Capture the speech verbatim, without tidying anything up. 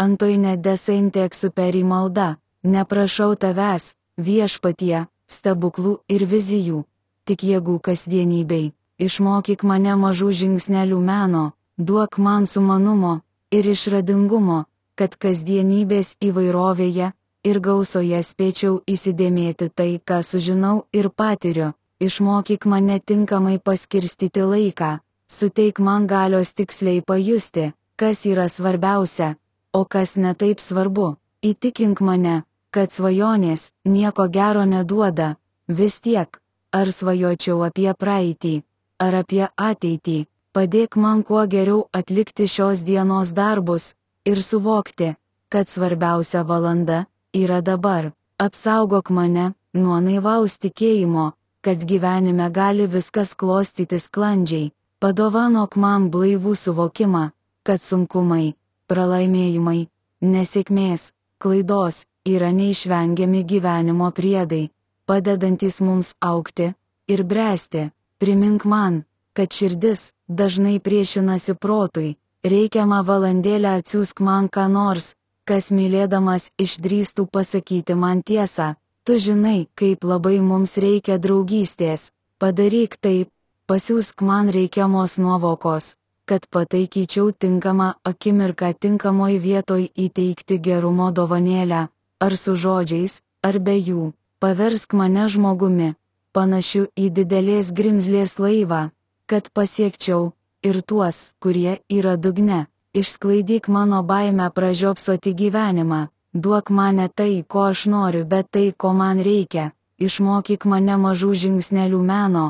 Antoine de Saint-Exupéry malda, neprašau tavęs, viešpatie, stebuklų ir vizijų, tik jėgų kasdienybei, išmokyk mane mažų žingsnelių meno, duok man sumanumo ir išradingumo, kad kasdienybės įvairovėje ir gausoje spėčiau įsidėmėti tai, ką sužinau ir patiriu, išmokyk mane tinkamai paskirstyti laiką, suteik man galios tiksliai pajusti, kas yra svarbiausia, o kas netaip svarbu, įtikink mane, kad svajonės nieko gero neduoda, vis tiek, ar svajočiau apie praeitį, ar apie ateitį, padėk man kuo geriau atlikti šios dienos darbus ir suvokti, kad svarbiausia valanda yra dabar, apsaugok mane nuo naivaus tikėjimo, kad gyvenime gali viskas klostytis sklandžiai, padovanok man blaivų suvokimą, kad sunkumai, pralaimėjimai, nesėkmės, klaidos yra neišvengiami gyvenimo priedai, padedantis mums augti ir bręsti. Primink man, kad širdis dažnai priešinasi protui, reikiamą valandėlę atsiųsk man ką nors, kas mylėdamas išdrįstų pasakyti man tiesą. Tu žinai, kaip labai mums reikia draugystės, padaryk taip, pasiųsk man reikiamos nuovokos, kad pataikyčiau tinkamą akimirką tinkamoj vietoj įteikti gerumo dovanėlę, ar su žodžiais, ar be jų, paversk mane žmogumi, panašiu į didelės grimzlės laivą, kad pasiekčiau ir tuos, kurie yra dugne, išsklaidyk mano baimę pražiopsoti gyvenimą, duok man ne tai, ko aš noriu, bet tai, ko man reikia, išmokyk mane mažų žingsnelių meno,